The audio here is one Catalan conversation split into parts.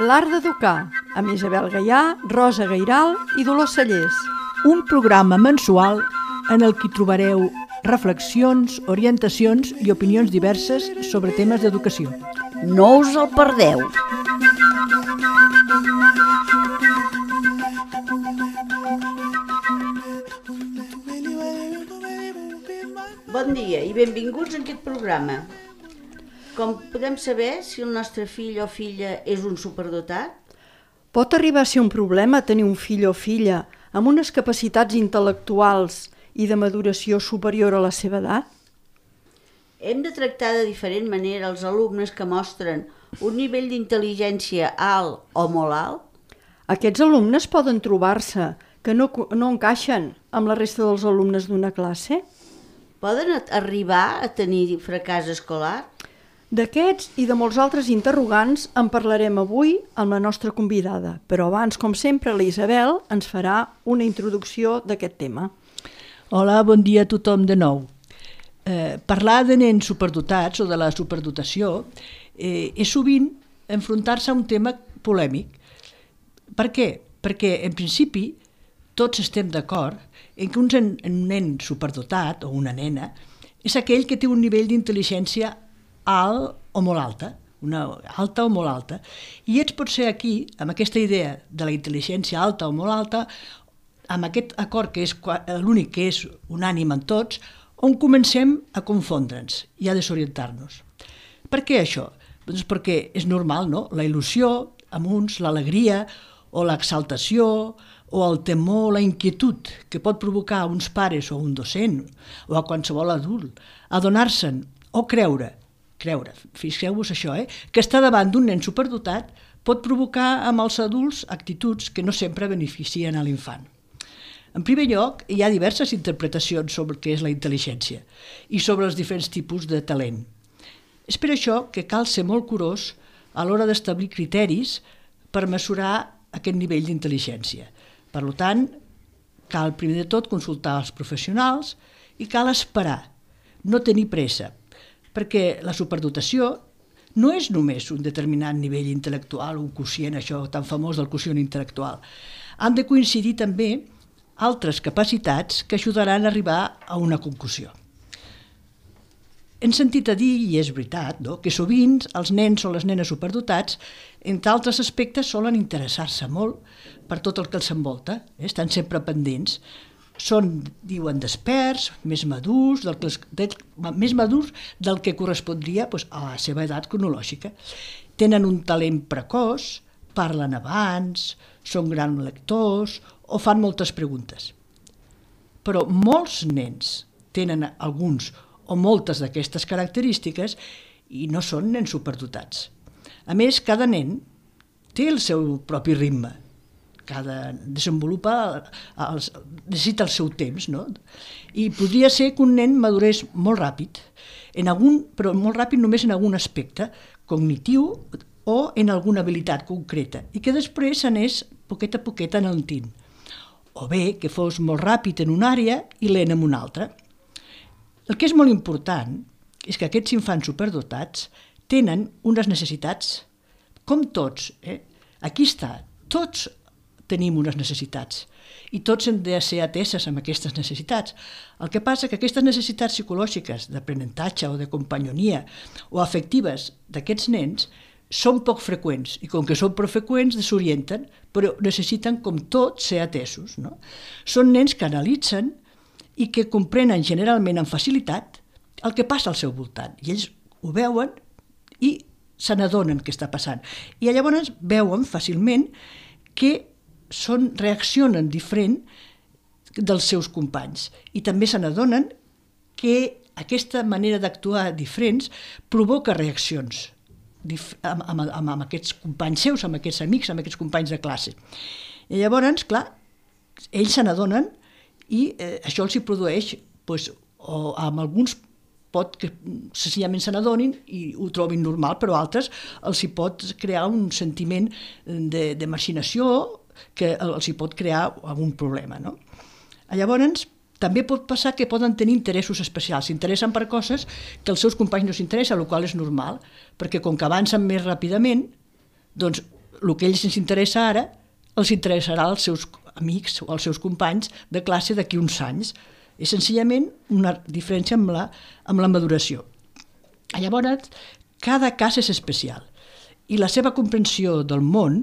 L'art d'educar, amb Isabel Gaià, Rosa Gairal i Dolors Sallés. Un programa mensual en el que trobareu reflexions, orientacions i opinions diverses sobre temes d'educació. No us el perdeu! Bon dia i benvinguts a aquest programa. Com podem saber si el nostre fill o filla és un superdotat? Pot arribar a ser un problema tenir un fill o filla amb unes capacitats intel·lectuals i de maduració superior a la seva edat? Hem de tractar de diferent manera els alumnes que mostren un nivell d'intel·ligència alt o molt alt? Aquests alumnes poden trobar-se que no encaixen amb la resta dels alumnes d'una classe? Poden arribar a tenir fracàs escolar? D'aquests i de molts altres interrogants en parlarem avui amb la nostra convidada, però abans, com sempre, la Isabel ens farà una introducció d'aquest tema. Hola, bon dia a tothom de nou. Parlar de nens superdotats o de la superdotació és sovint enfrontar-se a un tema polèmic. Per què? Perquè, en principi, tots estem d'acord en que un nen superdotat o una nena és aquell que té un nivell d'intel·ligència alt o molt alta, una alta o molt alta, i pot ser aquí, amb aquesta idea de la intel·ligència alta o molt alta, amb aquest acord que és l'únic que és unànime en tots, on comencem a confondre'ns i a desorientar-nos. Per què això? Doncs perquè és normal, no? La il·lusió, amb uns, l'alegria o l'exaltació o el temor, la inquietud que pot provocar a uns pares o a un docent o a qualsevol adult, adonar-se'n o creure, fixeu-vos això, que estar davant d'un nen superdotat pot provocar amb els adults actituds que no sempre beneficien a l'infant. En primer lloc, hi ha diverses interpretacions sobre què és la intel·ligència i sobre els diferents tipus de talent. És per això que cal ser molt curós a l'hora d'establir criteris per mesurar aquest nivell d'intel·ligència. Per tant, cal primer de tot consultar els professionals i cal esperar, no tenir pressa, perquè la superdotació no és només un determinat nivell intel·lectual, un quocient, això tan famós del quocient intel·lectual. Han de coincidir també altres capacitats que ajudaran a arribar a una conclusió. Hem sentit a dir, i és veritat, que sovint els nens o les nenes superdotats, entre altres aspectes, solen interessar-se molt per tot el que els envolta, estan sempre pendents. Són, diuen, desperts, més madurs del que correspondria a la seva edat cronològica. Tenen un talent precoç, parlen abans, són grans lectors o fan moltes preguntes. Però molts nens tenen alguns o moltes d'aquestes característiques i no són nens superdotats. A més, cada nen té el seu propi ritme. Cada necessita el seu temps, no? I podria ser que un nen madurés molt ràpid, però molt ràpid només en algun aspecte cognitiu o en alguna habilitat concreta, i que després s'anés poquet a poquet enaltint. O bé que fos molt ràpid en una àrea i lent en una altra. El que és molt important és que aquests infants superdotats tenen unes necessitats, com tots. Aquí està, tots tenim unes necessitats i tots hem de ser ateses amb aquestes necessitats. El que passa que aquestes necessitats psicològiques d'aprenentatge o de companyonia o afectives d'aquests nens són poc freqüents i com que són poc freqüents desorienten, però necessiten com tots ser atesos. No? Són nens que analitzen i que comprenen generalment amb facilitat el que passa al seu voltant i ells ho veuen i se n'adonen què està passant. I llavors veuen fàcilment que reaccionen diferent dels seus companys i també se n'adonen que aquesta manera d'actuar diferents provoca reaccions amb aquests companys seus, amb aquests amics, amb aquests companys de classe. I llavors, clar, ells se n'adonen i això els hi produeix, o amb alguns pot que senzillament se n'adonin i ho trobin normal, però altres els hi pot crear un sentiment de marginació que els hi pot crear algun problema. No? Llavors, també pot passar que poden tenir interessos especials, s'interessen per coses que els seus companys no s'interessen, el qual és normal, perquè com que avancen més ràpidament, doncs el que a ells ens interessa ara els interessarà als seus amics o als seus companys de classe d'aquí uns anys. És senzillament una diferència amb la maduració. Llavors, cada cas és especial i la seva comprensió del món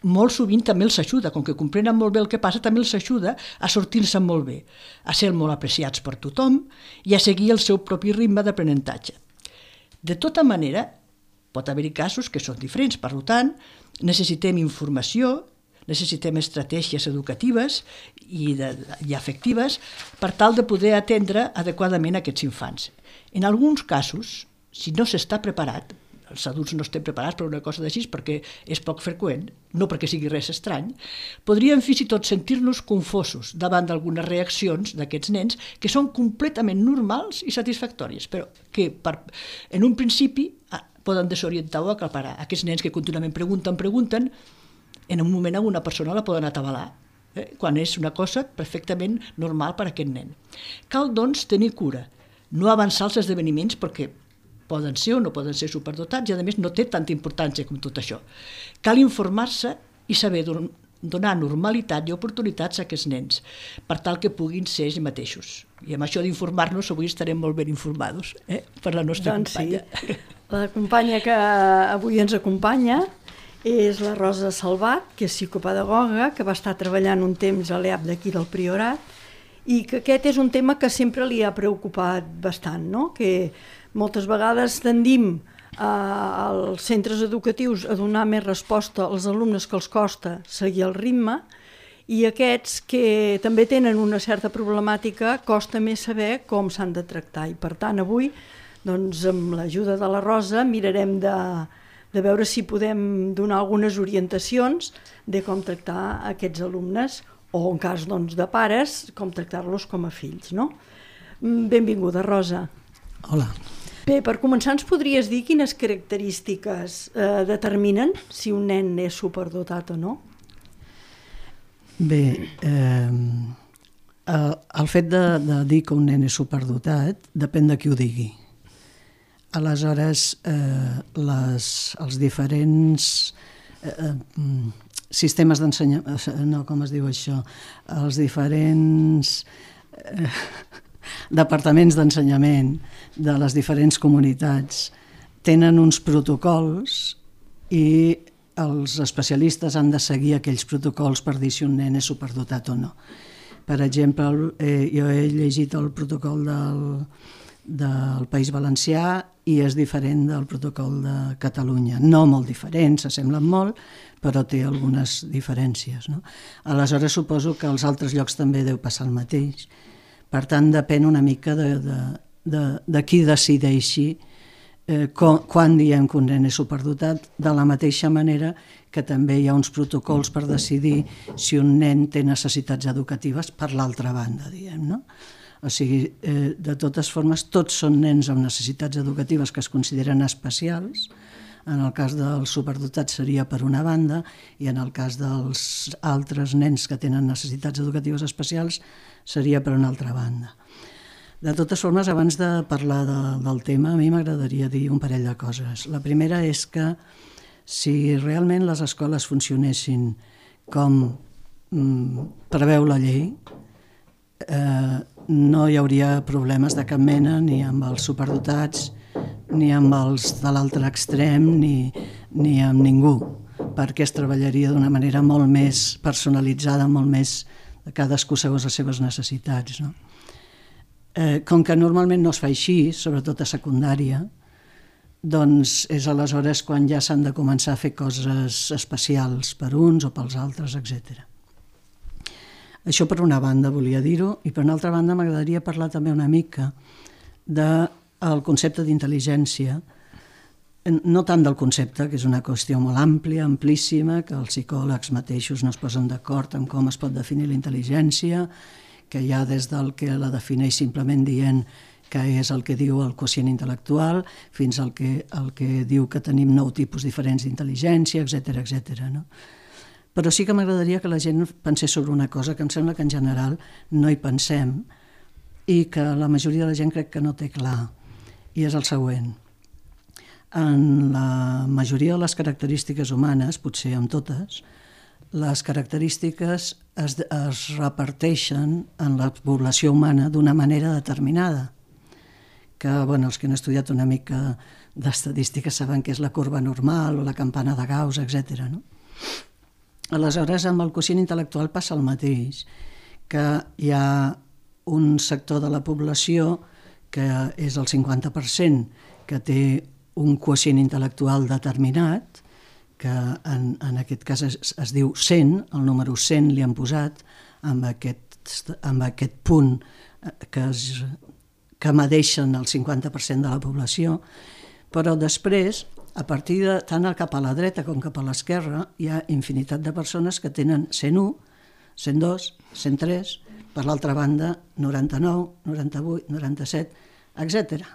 molt sovint també els ajuda, com que comprenen molt bé el que passa, també els ajuda a sortir-se molt bé, a ser molt apreciats per tothom i a seguir el seu propi ritme d'aprenentatge. De tota manera, pot haver-hi casos que són diferents, per tant, necessitem informació, necessitem estratègies educatives i afectives per tal de poder atendre adequadament aquests infants. En alguns casos, si no s'està preparat, els adults no estem preparats per una cosa d'així perquè és poc freqüent, no perquè sigui res estrany, podríem fins i tot sentir-nos confosos davant d'algunes reaccions d'aquests nens que són completament normals i satisfactòries, però que en un principi poden desorientar o aclaparar. Aquests nens que contínuament pregunten, en un moment alguna persona la poden atabalar, quan és una cosa perfectament normal per a aquest nen. Cal, doncs, tenir cura, no avançar els esdeveniments perquè poden ser o no poden ser superdotats i, a més, no té tanta importància com tot això. Cal informar-se i saber donar normalitat i oportunitats a aquests nens, per tal que puguin ser ells mateixos. I amb això d'informar-nos avui estarem molt ben informats per la nostra companya. Sí. La companya que avui ens acompanya és la Rosa Salvat, que és psicopedagoga, que va estar treballant un temps a l'EAP d'aquí del Priorat, i que aquest és un tema que sempre li ha preocupat bastant, no? Que moltes vegades tendim als centres educatius a donar més resposta als alumnes que els costa seguir el ritme, i aquests que també tenen una certa problemàtica costa més saber com s'han de tractar. I per tant avui, doncs, amb l'ajuda de la Rosa, mirarem de veure si podem donar algunes orientacions de com tractar aquests alumnes, o en cas de pares, com tractar-los com a fills, no? Benvinguda, Rosa. Hola. Bé, per començar, ens podries dir quines característiques determinen si un nen és superdotat o no? Bé, el fet de dir que un nen és superdotat depèn de qui ho digui. Aleshores, els diferents sistemes d'ensenyament, no, com es diu això, els diferents departaments d'ensenyament de les diferents comunitats tenen uns protocols i els especialistes han de seguir aquells protocols per dir si un nen és superdotat o no. Per exemple, jo he llegit el protocol del País Valencià i és diferent del protocol de Catalunya. No molt diferent, s'assemblen molt, però té algunes diferències, no? Aleshores suposo que als altres llocs també deu passar el mateix. Per tant, depèn una mica de qui decideixi quan diem que un nen és superdotat, de la mateixa manera que també hi ha uns protocols per decidir si un nen té necessitats educatives per l'altra banda, diguem, no? O sigui, de totes formes, tots són nens amb necessitats educatives que es consideren especials. En el cas dels superdotats seria per una banda i en el cas dels altres nens que tenen necessitats educatives especials seria per una altra banda. De totes formes, abans de parlar del tema, a mi m'agradaria dir un parell de coses. La primera és que si realment les escoles funcionessin com preveu la llei, no hi hauria problemes de cap mena ni amb els superdotats, ni amb els de l'altre extrem, ni amb ningú, perquè es treballaria d'una manera molt més personalitzada, molt més de cadascú segons les seves necessitats, no? Com que normalment no es fa així, sobretot a secundària, doncs és aleshores quan ja s'han de començar a fer coses especials per uns o pels altres, etc. Això per una banda volia dir-ho, i per una altra banda m'agradaria parlar també una mica del concepte d'intel·ligència, no tant del concepte, que és una qüestió molt àmplia, amplíssima, que els psicòlegs mateixos no es posen d'acord en com es pot definir la intel·ligència, que hi ha des del que la defineix simplement dient que és el que diu el quocient intel·lectual, fins al que diu que tenim 9 tipus diferents d'intel·ligència, etc., no? Però sí que m'agradaria que la gent pensés sobre una cosa que em sembla que en general no hi pensem i que la majoria de la gent crec que no té clar, i és el següent. En la majoria de les característiques humanes, potser en totes, les característiques es reparteixen en la població humana d'una manera determinada, que els que han estudiat una mica d'estadística saben que és la corba normal o la campana de Gauss, etc. No? Aleshores, amb el quocient intel·lectual passa el mateix, que hi ha un sector de la població que és el 50%, que té un quocient intel·lectual determinat, que en aquest cas es diu 100, el número 100 li han posat amb aquest punt que medeixen el 50% de la població, però després, a partir de tant cap a la dreta com cap a l'esquerra, hi ha infinitat de persones que tenen 101, 102, 103, per l'altra banda 99, 98, 97, etc.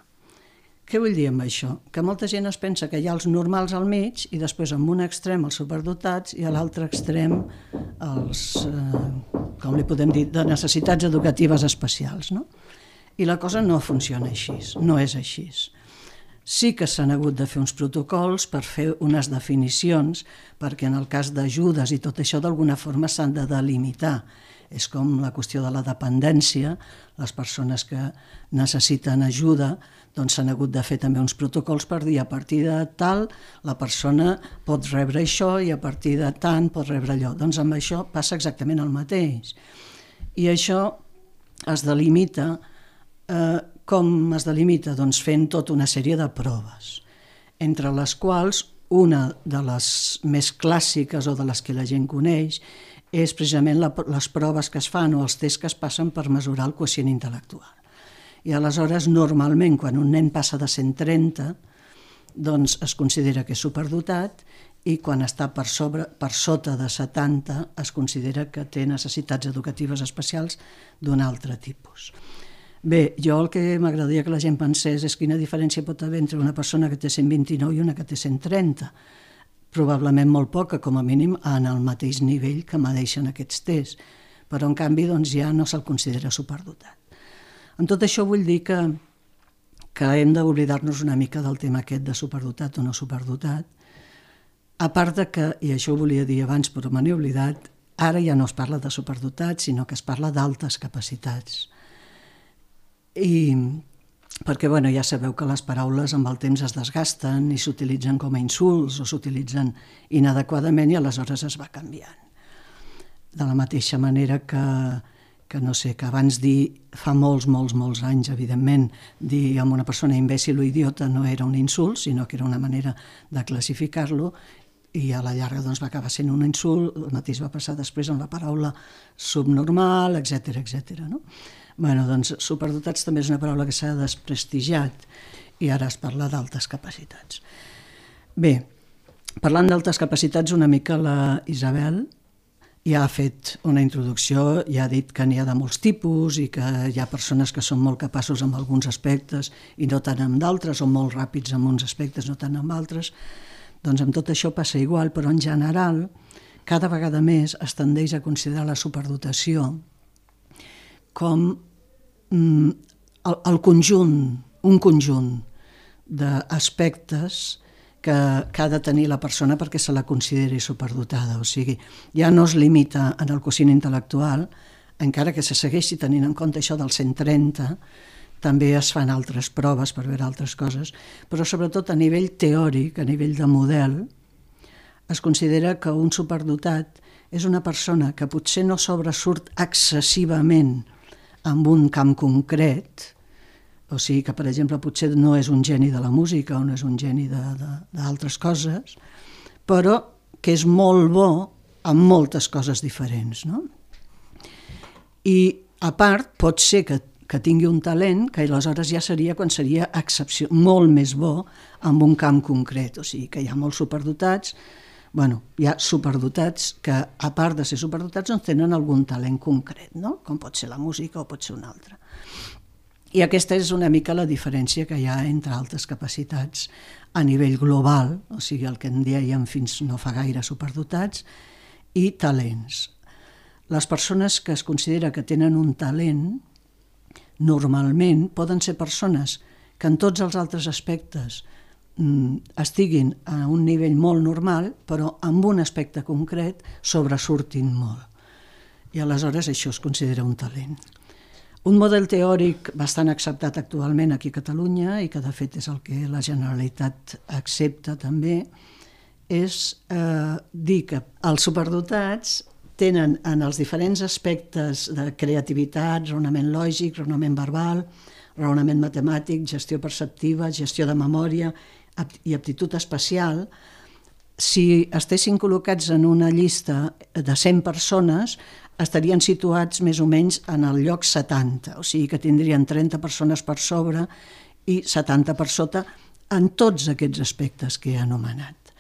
Què vull dir amb això? Que molta gent es pensa que hi ha els normals al mig i després en un extrem els superdotats i a l'altre extrem els, com li podem dir, de necessitats educatives especials, no? I la cosa no funciona així, no és així. Sí que s'han hagut de fer uns protocols per fer unes definicions, perquè en el cas d'ajudes i tot això d'alguna forma s'han de delimitar. És com la qüestió de la dependència, les persones que necessiten ajuda doncs s'han hagut de fer també uns protocols per dir a partir de tal la persona pot rebre això i a partir de tant pot rebre allò. Doncs amb això passa exactament el mateix. I això es delimita, com es delimita? Doncs fent tota una sèrie de proves, entre les quals una de les més clàssiques o de les que la gent coneix és precisament les proves que es fan o els tests que es passen per mesurar el quocient intel·lectual. I aleshores, normalment, quan un nen passa de 130, doncs es considera que és superdotat i quan està per sota de 70 es considera que té necessitats educatives especials d'un altre tipus. Bé, jo el que m'agradaria que la gent pensés és quina diferència pot haver entre una persona que té 129 i una que té 130. Probablement molt poca, com a mínim, en el mateix nivell que medeixen aquests tests, però en canvi doncs, ja no se'l considera superdotat. En tot això vull dir que hem d'oblidar-nos una mica del tema aquest de superdotat o no superdotat, a part de que, i això ho volia dir abans però me n'he oblidat, ara ja no es parla de superdotat, sinó que es parla d'altes capacitats. Perquè ja sabeu que les paraules amb el temps es desgasten i s'utilitzen com a insults o s'utilitzen inadequadament i aleshores es va canviant. De la mateixa manera que no sé, que abans dir, fa molts anys, evidentment, dir amb una persona imbècil o idiota no era un insult, sinó que era una manera de classificar-lo i a la llarga doncs, va acabar sent un insult, el mateix va passar després amb la paraula subnormal, etc. No? Doncs superdotats també és una paraula que s'ha desprestigiat i ara es parla d'altes capacitats. Bé, parlant d'altes capacitats, una mica la Isabel ja ha fet una introducció, ja ha dit que n'hi ha de molts tipus i que hi ha persones que són molt capaços en alguns aspectes i no tant en d'altres, o molt ràpids en uns aspectes, no tant en altres. Doncs amb tot això passa igual, però en general cada vegada més es tendeix a considerar la superdotació com el conjunt, un conjunt d'aspectes que ha de tenir la persona perquè se la consideri superdotada. O sigui, ja no es limita en el quocient intel·lectual, encara que se segueixi tenint en compte això del 130, també es fan altres proves per veure altres coses, però sobretot a nivell teòric, a nivell de model, es considera que un superdotat és una persona que potser no sobresurt excessivament en un camp concret, o sigui que, per exemple, potser no és un geni de la música o no és un geni d'altres coses, però que és molt bo en moltes coses diferents. No? I, a part, pot ser que tingui un talent que aleshores ja seria quan seria molt més bo en un camp concret. O sigui que hi ha molts superdotats, hi ha superdotats que, a part de ser superdotats, doncs tenen algun talent concret, no? Com pot ser la música o pot ser un altre. I aquesta és una mica la diferència que hi ha entre altes capacitats a nivell global, o sigui, el que en dèiem fins no fa gaire superdotats, i talents. Les persones que es considera que tenen un talent normalment poden ser persones que en tots els altres aspectes estiguin a un nivell molt normal, però amb un aspecte concret sobresurtin molt. I aleshores això es considera un talent. Un model teòric bastant acceptat actualment aquí a Catalunya, i que de fet és el que la Generalitat accepta també, és dir que els superdotats tenen en els diferents aspectes de creativitat, raonament lògic, raonament verbal, raonament matemàtic, gestió perceptiva, gestió de memòria i aptitud espacial, si estessin col·locats en una llista de 100 persones, estarien situats més o menys en el lloc 70, o sigui que tindrien 30 persones per sobre i 70 per sota en tots aquests aspectes que he anomenat.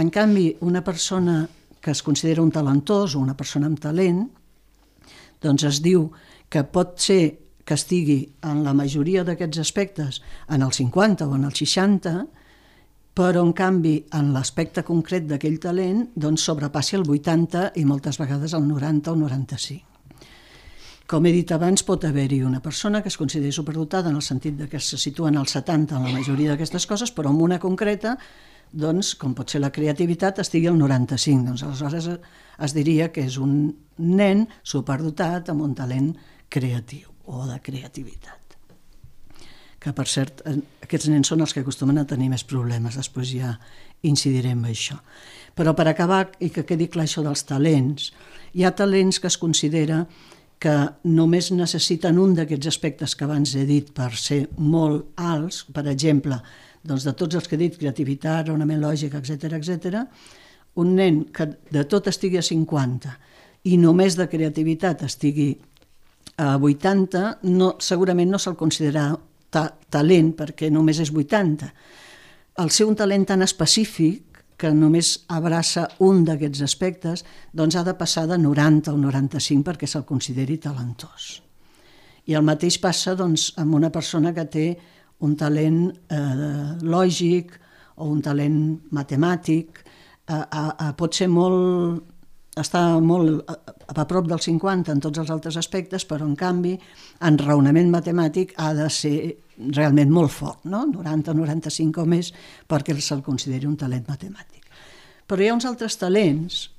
En canvi, una persona que es considera un talentós o una persona amb talent, doncs es diu que pot ser que estigui en la majoria d'aquests aspectes en el 50 o en el 60, però en canvi en l'aspecte concret d'aquell talent doncs sobrepassi el 80 i moltes vegades el 90 o 95. Com he dit abans, pot haver-hi una persona que es consideri superdotada en el sentit que se situa en el 70 en la majoria d'aquestes coses, però en una concreta, doncs, com pot ser la creativitat, estigui al 95. Doncs aleshores es diria que és un nen superdotat amb un talent creatiu o de creativitat. Que, per cert, aquests nens són els que acostumen a tenir més problemes, després ja incidirem en això. Però per acabar, i que quedi clar això dels talents, hi ha talents que es considera que només necessiten un d'aquests aspectes que abans he dit per ser molt alts, per exemple, doncs de tots els que he dit, creativitat, raonament lògic, etc., un nen que de tot estigui a 50 i només de creativitat estigui a 80, segurament no se'l considerarà talent perquè només és 80. Al ser un talent tan específic que només abraça un d'aquests aspectes, doncs ha de passar de 90 o 95 perquè se'l consideri talentós. I el mateix passa doncs, amb una persona que té un talent lògic o un talent matemàtic, pot ser està molt a prop del 50 en tots els altres aspectes, però en canvi en raonament matemàtic ha de ser realment molt fort, no? 90 o 95 o més perquè se'l consideri un talent matemàtic. Però hi ha uns altres talents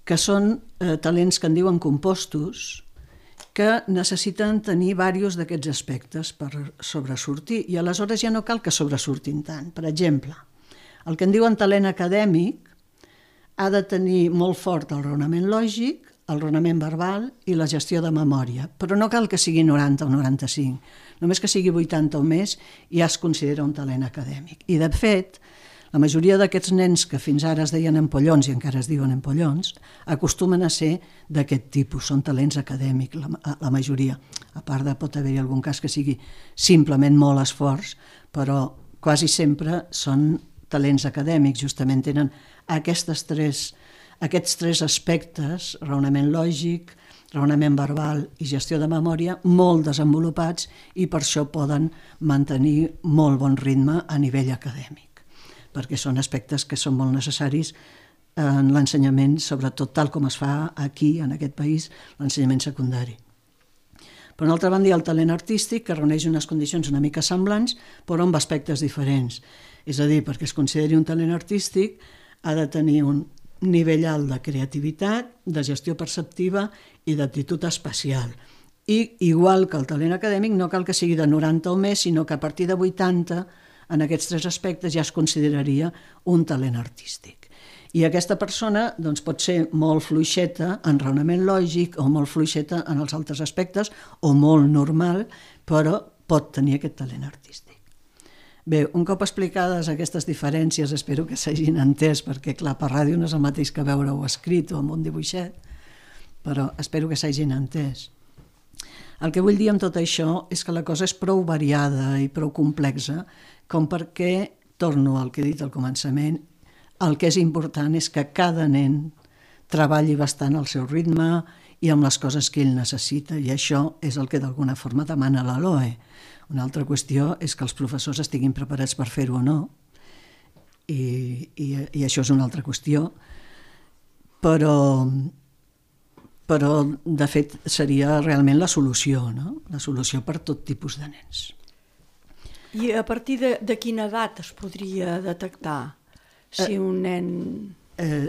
que són talents que en diuen compostos, que necessiten tenir diversos d'aquests aspectes per sobresortir, i aleshores ja no cal que sobresurtin tant. Per exemple, el que en diuen talent acadèmic ha de tenir molt fort el raonament lògic, el raonament verbal i la gestió de memòria, però no cal que sigui 90 o 95, només que sigui 80 o més ja es considera un talent acadèmic. I de fet, la majoria d'aquests nens que fins ara es deien empollons i encara es diuen empollons, acostumen a ser d'aquest tipus, són talents acadèmics, la majoria. A part de pot haver-hi algun cas que sigui simplement molt esforç, però quasi sempre són talents acadèmics, justament tenen aquests tres aspectes, raonament lògic, raonament verbal i gestió de memòria, molt desenvolupats i per això poden mantenir molt bon ritme a nivell acadèmic, perquè són aspectes que són molt necessaris en l'ensenyament, sobretot tal com es fa aquí, en aquest país, l'ensenyament secundari. Per una altra banda, hi ha el talent artístic, que reuneix unes condicions una mica semblants, però amb aspectes diferents. És a dir, perquè es consideri un talent artístic, ha de tenir un nivell alt de creativitat, de gestió perceptiva i d'aptitud espacial. I, igual que el talent acadèmic, no cal que sigui de 90 o més, sinó que a partir de 80, en aquests tres aspectes, ja es consideraria un talent artístic. I aquesta persona doncs, pot ser molt fluixeta en raonament lògic o molt fluixeta en els altres aspectes o molt normal, però pot tenir aquest talent artístic. Bé, un cop explicades aquestes diferències, espero que s'hagin entès, perquè clar, per ràdio no és el mateix que veure-ho escrit o amb un dibuixet, però espero que s'hagin entès. El que vull dir amb tot això és que la cosa és prou variada i prou complexa com perquè, torno al que he dit al començament, el que és important és que cada nen treballi bastant al seu ritme i amb les coses que ell necessita, i això és el que d'alguna forma demana la LOE. Una altra qüestió és que els professors estiguin preparats per fer-ho o no, i això és una altra qüestió, però de fet seria realment la solució, no? La solució per tot tipus de nens. I a partir de quina edat es podria detectar si un nen...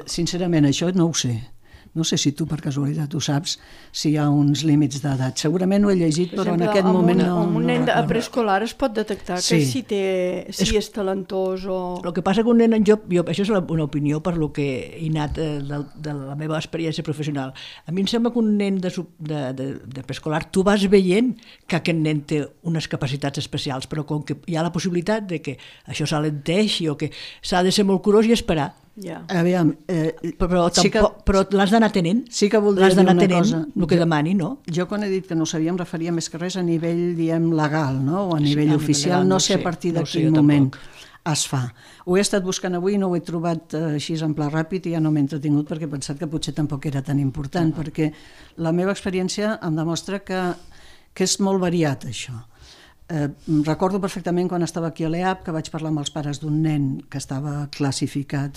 Sincerament, això no ho sé. No sé si tu per casualitat ho saps, si hi ha uns límits d'edat. Segurament ho he llegit, però en aquest moment no... Amb un nen preescolar es pot detectar que si és talentós o... El que passa que un nen, jo això és una opinió per lo que he anat de la meva experiència professional. A mi em sembla que un nen de preescolar, tu vas veient que aquest nen té unes capacitats especials, però com que hi ha la possibilitat de que això s'alenteixi o que s'ha de ser molt curós i esperar. Aviam, però l'has d'anar tenint. Sí que voldria dir una cosa. El que demani, no? Jo quan he dit que no ho sabia em referia més que res a nivell, diem, legal, no? O a nivell oficial. No sé a partir de quin moment es fa. Ho he estat buscant avui, no ho he trobat així en pla ràpid i ja no m'he entretingut perquè he pensat que potser tampoc era tan important, perquè la meva experiència em demostra que és molt variat això. Recordo perfectament quan estava aquí a l'EAP que vaig parlar amb els pares d'un nen que estava classificat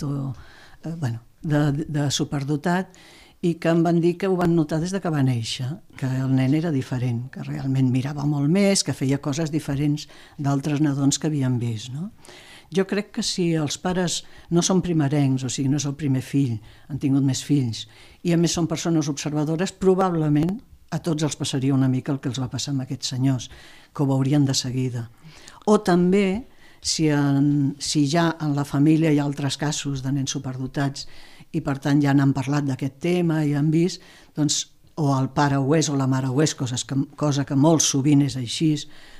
de superdotat i que em van dir que ho van notar des de que va néixer, que el nen era diferent, que realment mirava molt més, que feia coses diferents d'altres nadons que havien vist, no? Jo crec que si els pares no són primerencs, o sigui, no és el primer fill, han tingut més fills, i a més són persones observadores, probablement a tots els passaria una mica el que els va passar amb aquests senyors, que ho veurien de seguida. O també, si ja en la família hi ha altres casos de nens superdotats i per tant ja n'han parlat d'aquest tema i han vist, doncs o el pare ho és o la mare ho és, cosa que molt sovint és així,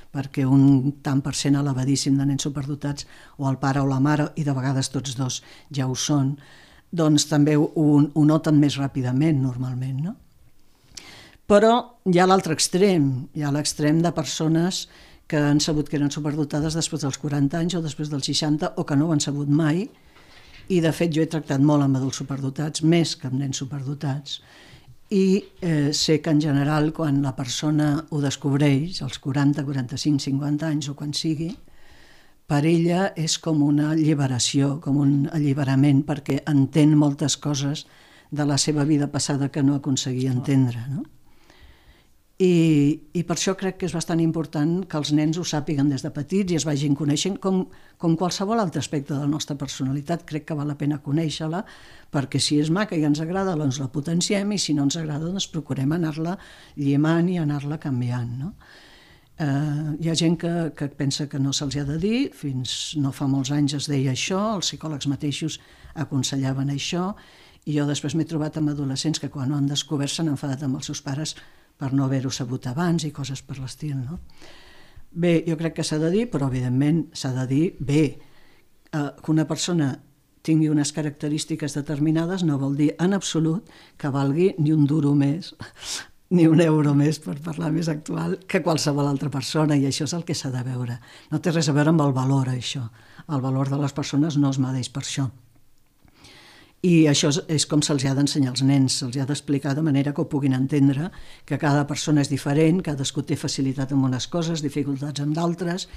perquè un tant per cent elevadíssim de nens superdotats o el pare o la mare, i de vegades tots dos ja ho són, doncs també ho noten més ràpidament normalment, no? Però hi ha l'altre extrem, hi ha l'extrem de persones que han sabut que eren superdotades després dels 40 anys o després dels 60 o que no ho han sabut mai, i de fet jo he tractat molt amb adults superdotats, més que amb nens superdotats, i sé que en general quan la persona ho descobreix, als 40, 45, 50 anys o quan sigui, per ella és com una alliberació, com un alliberament, perquè entén moltes coses de la seva vida passada que no aconseguia entendre, no? I per això crec que és bastant important que els nens ho sàpiguen des de petits i es vagin coneixent com qualsevol altre aspecte de la nostra personalitat. Crec que val la pena conèixer-la, perquè si és maca i ens agrada, doncs la potenciem, i si no ens agrada, doncs procurem anar-la llimant i anar-la canviant, no? Hi ha gent que pensa que no se'ls ha de dir, fins no fa molts anys es deia això, els psicòlegs mateixos aconsellaven això, i jo després m'he trobat amb adolescents que quan ho han descobert s'han enfadat amb els seus pares per no haver-ho sabut abans i coses per l'estil, no? Bé, jo crec que s'ha de dir, però evidentment s'ha de dir bé. Que una persona tingui unes característiques determinades no vol dir en absolut que valgui ni un duro més, ni un euro més, per parlar més actual, que qualsevol altra persona, i això és el que s'ha de veure. No té res a veure amb el valor, això. El valor de les persones no es medeix per això. I això és com se'ls ha d'ensenyar als nens, se'ls ha d'explicar de manera que ho puguin entendre, que cada persona és diferent, cadascú té facilitat en unes coses, dificultats en d'altres,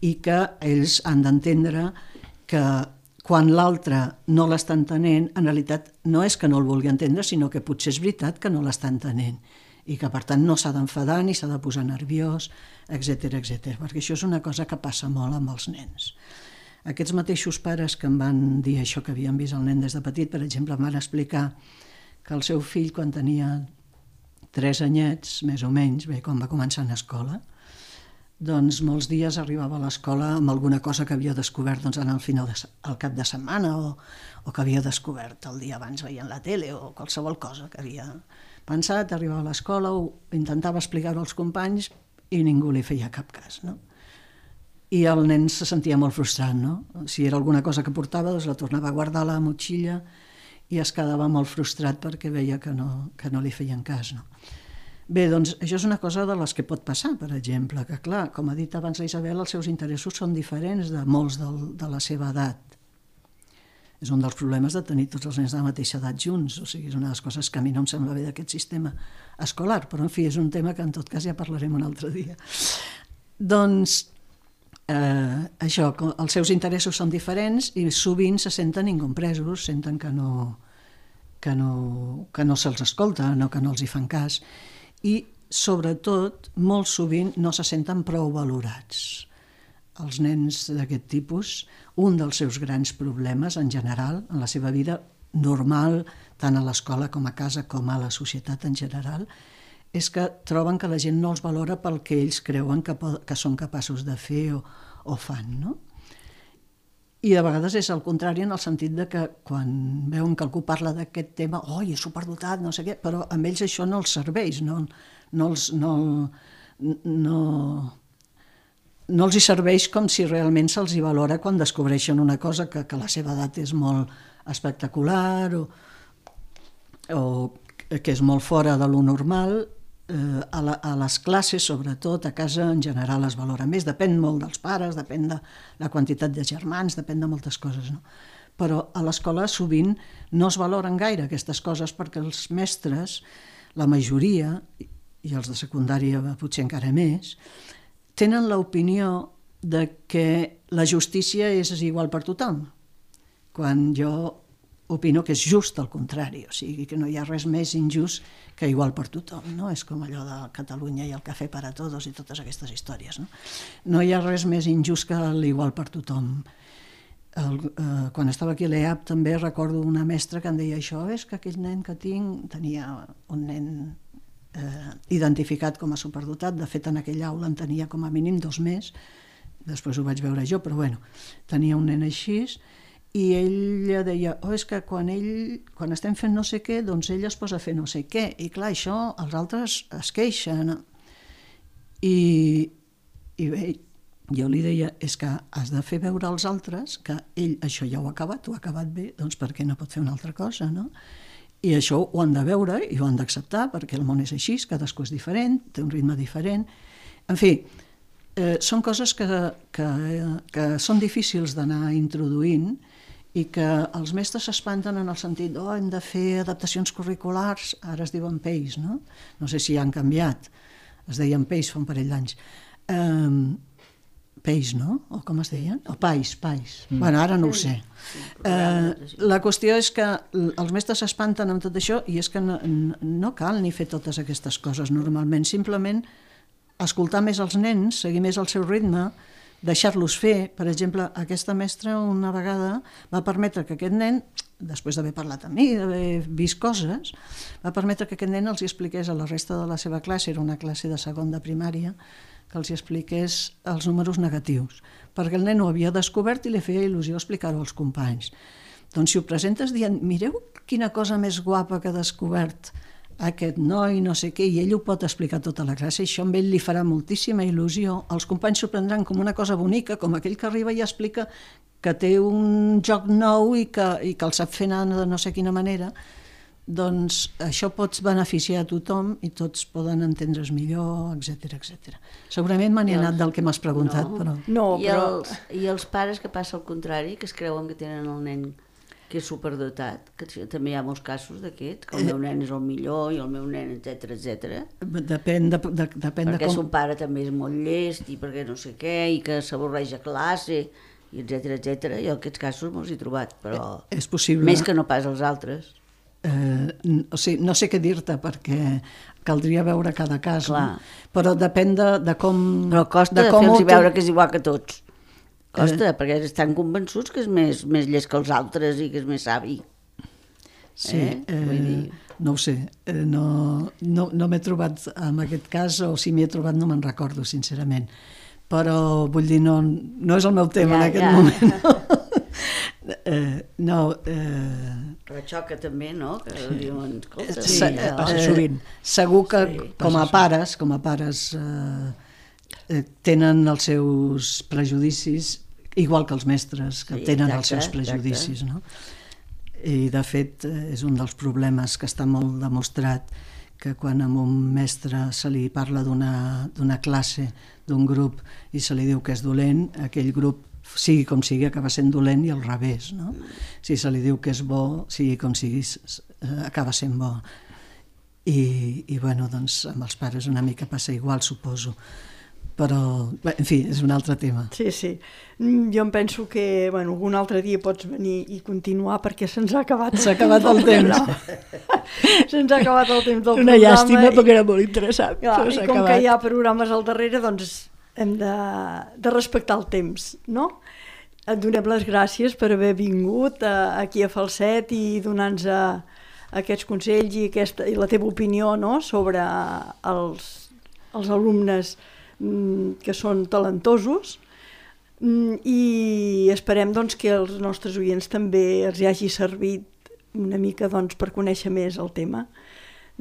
i que ells han d'entendre que quan l'altre no l'està entenent, en realitat no és que no el vulgui entendre, sinó que potser és veritat que no l'està entenent, i que per tant no s'ha d'enfadar ni s'ha de posar nerviós, etc, perquè això és una cosa que passa molt amb els nens. Aquests mateixos pares que em van dir això que havien vist el nen des de petit, per exemple, em van explicar que el seu fill, quan tenia 3 anyets, més o menys, bé, quan va començar a escola, doncs molts dies arribava a l'escola amb alguna cosa que havia descobert al cap de setmana o que havia descobert el dia abans veient la tele o qualsevol cosa que havia pensat, arribava a l'escola, intentava explicar-ho als companys i ningú li feia cap cas, no? I el nen se sentia molt frustrat, no? Si era alguna cosa que portava, doncs la tornava a guardar a la motxilla i es quedava molt frustrat perquè veia que no li feien cas, no? Bé, doncs això és una cosa de les que pot passar, per exemple, que clar, com ha dit abans la Isabel, els seus interessos són diferents de molts de la seva edat. És un dels problemes de tenir tots els nens de la mateixa edat junts, o sigui, és una de les coses que a mi no em sembla bé d'aquest sistema escolar, però en fi, és un tema que en tot cas ja parlarem un altre dia. Doncs això, els seus interessos són diferents i sovint se senten incompresos, senten que no se'ls escolta, que no els hi fan cas, i sobretot molt sovint no se senten prou valorats. Els nens d'aquest tipus, un dels seus grans problemes en general, en la seva vida normal, tant a l'escola com a casa com a la societat en general, és que troben que la gent no els valora pel que ells creuen que són capaços de fer o fan, no? I de vegades és el contrari, en el sentit de que quan veuen que algú parla d'aquest tema, és superdotat, no sé què, però a ells això no els serveix, no els hi serveix com si realment se'ls hi valora quan descobreixen una cosa que a la seva edat és molt espectacular o que és molt fora de lo normal. A les classes, sobretot, a casa en general es valora més, depèn molt dels pares, depèn de la quantitat de germans, depèn de moltes coses, no? Però a l'escola sovint no es valoren gaire aquestes coses perquè els mestres, la majoria, i els de secundària potser encara més, tenen l'opinió de que la justícia és igual per tothom, quan jo opino que és just al contrari, o sigui que no hi ha res més injust que igual per tothom, no? És com allò de Catalunya i el cafè para todos i totes aquestes històries, no? No hi ha res més injust que l'igual per tothom. Quan estava aquí a l'EAP també recordo una mestra que em deia això, és que aquell nen que tinc, tenia un nen identificat com a superdotat, de fet en aquella aula en tenia com a mínim 2 més, després ho vaig veure jo, però bueno, tenia un nen així, i ella deia, és que quan estem fent no sé què, doncs ell es posa a fer no sé què, i clar, això els altres es queixen. I bé, jo li deia, és que has de fer veure als altres que ell això ja ho ha acabat bé, doncs per què no pot fer una altra cosa, no? I això ho han de veure i ho han d'acceptar, perquè el món és així, cadascú és diferent, té un ritme diferent. En fi, són coses que són difícils d'anar introduint i que els mestres s'espanten en el sentit hem de fer adaptacions curriculars, ara es diuen PEIs, no? No sé si han canviat, es deien PEIs fa un parell d'anys. PEIs, no? O com es deien? O PAIs. Bueno, ara no ho sé. La qüestió és que els mestres s'espanten amb tot això i és que no cal ni fer totes aquestes coses normalment, simplement escoltar més els nens, seguir més el seu ritme, deixar-los fer. Per exemple, aquesta mestra una vegada va permetre que aquest nen, després d'haver parlat amb mi, d'haver vist coses, va permetre que aquest nen els expliqués a la resta de la seva classe, era una classe de segon de primària, que els expliqués els números negatius, perquè el nen ho havia descobert i li feia il·lusió explicar-ho als companys. Doncs si ho presentes dient, mireu quina cosa més guapa que ha descobert aquest noi, no sé què, i ell ho pot explicar tota la classe, i això amb ell li farà moltíssima il·lusió. Els companys s'ho prendran com una cosa bonica, com aquell que arriba i explica que té un joc nou i que el sap fer anar de no sé quina manera. Doncs això pots beneficiar a tothom i tots poden entendre's millor, etc. Segurament me n'he anat del que m'has preguntat, però... I els pares que passa al contrari, que es creuen que tenen el nen que és superdotat, que també hi ha molts casos d'aquests, que el meu nen és el millor i el meu nen, etc. Depèn de perquè com... son pare també és molt llest i perquè no sé què, i que s'avorreix a classe, i etc. Jo aquests casos me'ls he trobat, però és possible. Més que no pas els altres. O sigui, no sé què dir-te, perquè caldria veure cada cas, no? Però depèn de com... Però costa de fer-los veure que és igual que tots. Costa, perquè estan convençuts que és més llest que els altres i que és més savi. Sí, no ho sé, no m'he trobat en aquest cas, o si m'hi he trobat no me'n recordo, sincerament. Però, vull dir, no és el meu tema en aquest moment. Però xoca també, no? Que diuen, escolta... Passa sovint. Segur que com a pares tenen els seus prejudicis, igual que els mestres que tenen els seus prejudicis, no? I de fet és un dels problemes que està molt demostrat, que quan a un mestre se li parla d'una classe, d'un grup, i se li diu que és dolent, aquell grup, sigui com sigui, acaba sent dolent, i al revés, no? Si se li diu que és bo, sigui com sigui, acaba sent bo. I bueno, doncs amb els pares una mica passa igual, suposo. però, bé, en fi, és un altre tema. Sí, sí. Jo em penso que algun altre dia pots venir i continuar perquè se'ns ha acabat S'ha acabat el temps. Se'ns ha acabat el temps del Una programa. llàstima perquè era molt interessant. Clar, però i s'ha com acabat. que hi ha programes al darrere, doncs hem de respectar el temps, no? Et donem les gràcies per haver vingut aquí a Falset i donar-nos aquests consells i la teva opinió, no?, sobre els alumnes que són talentosos, i esperem doncs, que als nostres oients també els hagi servit una mica doncs, per conèixer més el tema.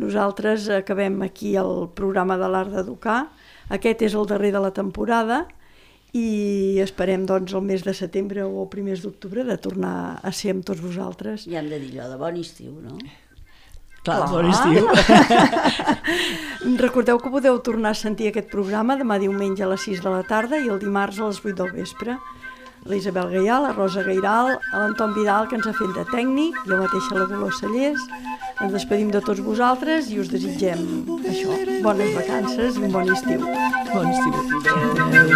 Nosaltres acabem aquí el programa de l'Art d'Educar. Aquest és el darrer de la temporada i esperem doncs, el mes de setembre o primers d'octubre de tornar a ser amb tots vosaltres. I hem de dir allò de bon estiu, no? Clar, bon estiu. Recordeu que podeu tornar a sentir aquest programa demà diumenge a les 6 de la tarda i el dimarts a les 8 del vespre. La Isabel Gaià, la Rosa Gairal, l'Anton Vidal, que ens ha fet de tècnic, jo mateixa la Dolors Cellers. Ens despedim de tots vosaltres i us desitgem això, bones vacances i un bon estiu. Bon estiu. Adéu.